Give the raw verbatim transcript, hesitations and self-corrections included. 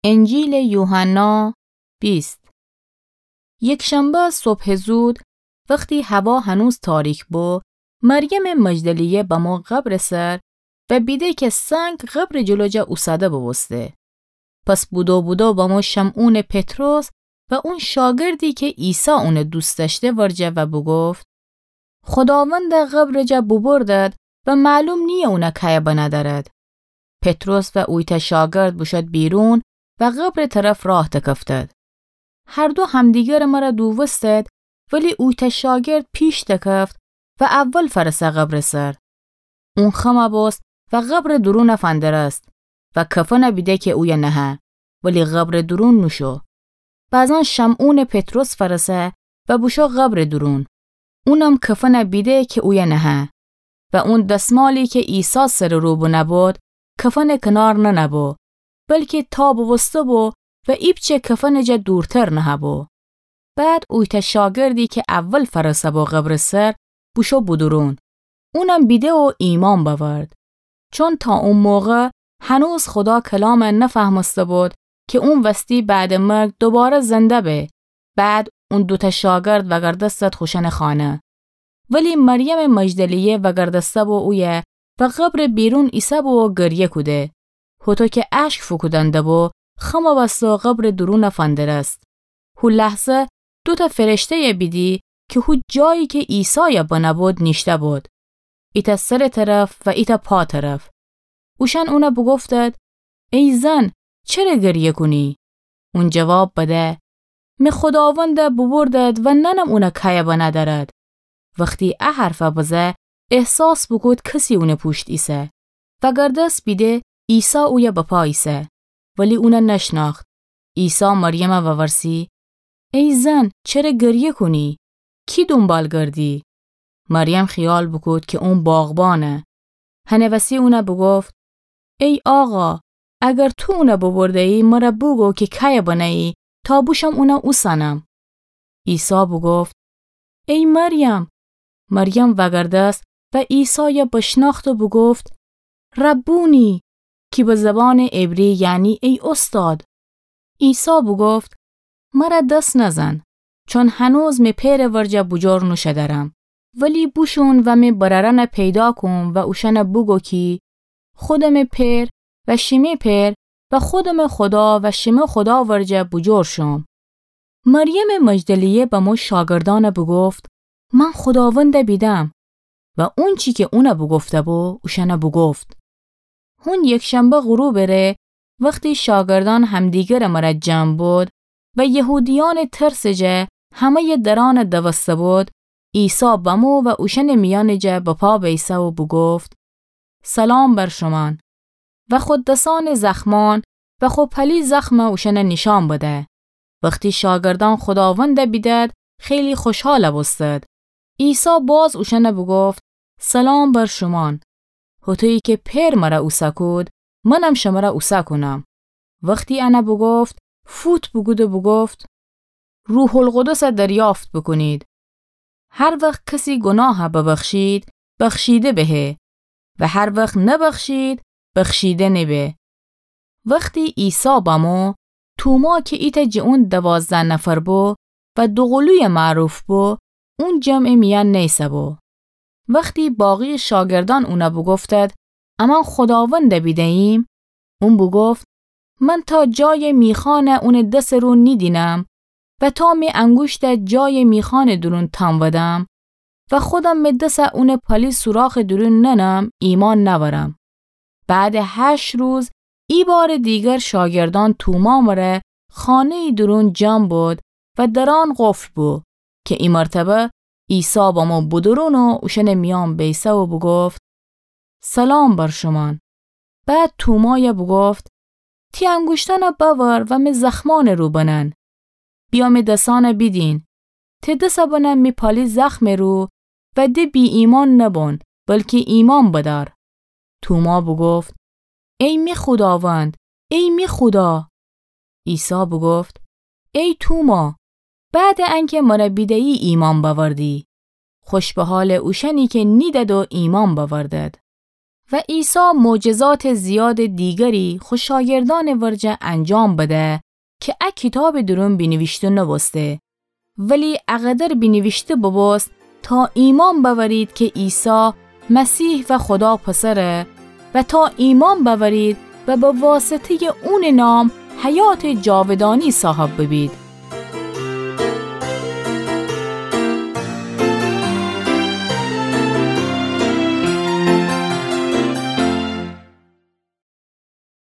انجیلٚ یوحنا بیست. یکشنبه صبحٚ زود، وختی هوا هنوز تاریک بو، مریمٚ مجدلیه بمو قبرٚ سر و بیده کی سنگ قبرٚ جلو جا اوسده بوبوسته. پس بودو بودو بمو شمعونٚ پطرس و اون شاگردی کی عیسی اون دوست دأشته ورجه و بوگفت: خوداوند قبرٚ جا بوبردد و معلوم نییه اون کیه بنه دأرد. پطرس و اویتأ شاگرد بوشد بیرون و قبرٚ طرف راه دکفتد. هر دو همدیگرٚ مره دووستد، ولی اویتأ شاگرد پیش دکفت و اول فرسه قبرٚ سر. اون خم بوست و قبرٚ دورون فندرست و کفن بیده کی اویه نهه، ولی قبرٚ دورون نوشو. بعداً شمعونٚ پطرس فرسه و بوشو قبرٚ دورون. اونم کفن بیده کی اویه نهه و اون دسمالی کی عیسی سرٚ رو بنه بود، کفنٚ کنار ننه بو، بلکی تا بوسته بو و ایپچه کفنٚ جا دورتر نهه بو. بعد اویتأ شاگردی کی اول فرسه بو قبرٚ سر، بوشو بودورون. اونم بیده و ایمأن بأورد. چون تا او موقع هنوز خودا کلام نفهمسته بود کی اون وستی بعدٚ مرگ دوباره زنده به. بعد اون دوتأ شاگرد وأگردستد خوشأنٚ خانه. ولی مریمٚ مجدلیه وأگردسته بو اویه و قبرٚ بیرون ایسه بو و گریه کوده. هوطو کی اشک فوکودن دبو، خم بسته و قبرٚ دورون فندرست. هو لحظه دوتأ فرشته‌یه بیدی کی هو جایی کی عیسایه بنه بود نیشته بود، ایتأ سرٚ طرف و ایتأ پا طرف. اوشأن اونه بوگفتد: ای زن، چره گریه کونی؟ اون جواب بده: می خوداوند بوبردد و نأنم اون کیه بنه دأرد. وختی ا حرفه بزه، احساس بوکود کسی اونٚ پوشت ایسه. وأگردست بیده عیسی اویه بپا ایسه، ولی اونه نشنأخت. عیسی مریمه وورسی: ای زن، چره گریه کونی؟ کی دونبال گردی؟ مریم خیال بوکود کی اون باغبانه. هنٚ وسی اونه بوگفت: ای آقا، اگر تو اونه بوبرده‌یی، مره بوگو کی کیه بنه‌یی، تا بوشم اونه اوسنم. عیسی بوگفت: ای مریم! مریم وأگردست و عیسایه بشنأخت و بوگفت: ربونی، کی به زبانٚ عبری یعنی ای اوستاد. عیسی بوگفت: مره دس نزن، چون هنوز می پئرٚ ورجه بوجور نوشودرم. ولی بوشون و می برأرأنه پیدا کون و اوشأنه بوگو کی خودمٚ پئر و شیمه پئر و خودمٚ خودا و شیمه خودا ورجه بوجور شوم. مریمٚ مجدلیه بمو شاگردأنه بوگفت: من خوداونده بیدم. و اونچی کی اونه بوگفته‌بو، اوشأنه بوگفت. هون یکشنبه غروبٚ ره، وختی شاگردأن همدیگرٚ مره جمع بود و یهودیأنٚ ترسٚ جه همه‌یٚ درأنه دوسته بود، عیسی بمو و اوشأنٚ میأنٚ جه بپا بیسه و بوگفت: سلام بر شومأن. و خو دسأنٚ زخمأن و خو پلی زخمه اوشأنه نیشأن بده. وختی شاگردأن خوداونده بیدد، خیلی خوشحال بوستد. عیسی باز اوشأنه بوگفت: سلام بر شومأن. هوطویی کی پئر مره اوسه کود، منم شمره اوسه کونم. وختی انه بوگفت، فوت بوکود و بوگفت: روح‌القدسه دریافت بوکونید. هر وخت کسی گوناهه ببخشید، بخشیده بهه و هر وخت نبخشید، بخشیده نبه. وختی عیسی بمو، توما کی ایتأ جٚه اون دوازده نفر بو و دوقولویٚ معروف بو، اون جمعٚ میأن نیسه‌بو. وختی باقی‌یٚ شاگردأن اونه بوگفتد: امأن خوداونده بیده‌ییم، اون بوگفت: من تا جایٚ میخأنه اونٚ دسٚ رو نیدینم و تا می انگوشته جایٚ میخأنٚ دورون تأنودم و خودم می دسه اونٚ پلی سوراخٚ دورون ننم، ایمأن نأورم. بعدٚ هشت روز، ایبارٚ دیگر شاگردأن توما مره خانه‌یٚ دورون جمع بود و درأن قفل بو، کی ای مرتبه عیسی بمو بودورون و اوشأنٚ میأن بیسه و بوگفت: سلام بر شومأن. بعد تومایه بوگفت: تی انگوشتأنه بأور و می زخمأنٚ رو بنن. بیا می دسأنه بیدین. تی دسه بنه می پلی زخمٚ رو و ده بی‌ایمأن نبون، بلکی ایمأن بدأر. توما بوگفت: ای می خوداوند، ای می خودا! عیسی بوگفت: ای توما، بعدٚ انکه مره بیده‌یی ایمأن بأوردی. خوش به حالٚ اوشأنی کی نیدد و ایمأن بأوردد. و عیسی معجزاتٚ زیادٚ دیگری خو شاگردأنٚ ورجه انجام بده کی ا کیتابٚ دورون بینیویشته نوبوسته. ولی اقدر بینیویشته بوبوست تا ایمأن بأورید کی عیسی مسیح و خودا پسره و تا ایمأن بأورید و به واسطه‌یٚ اونٚ نام حیاتٚ جاودانی صاحب ببید.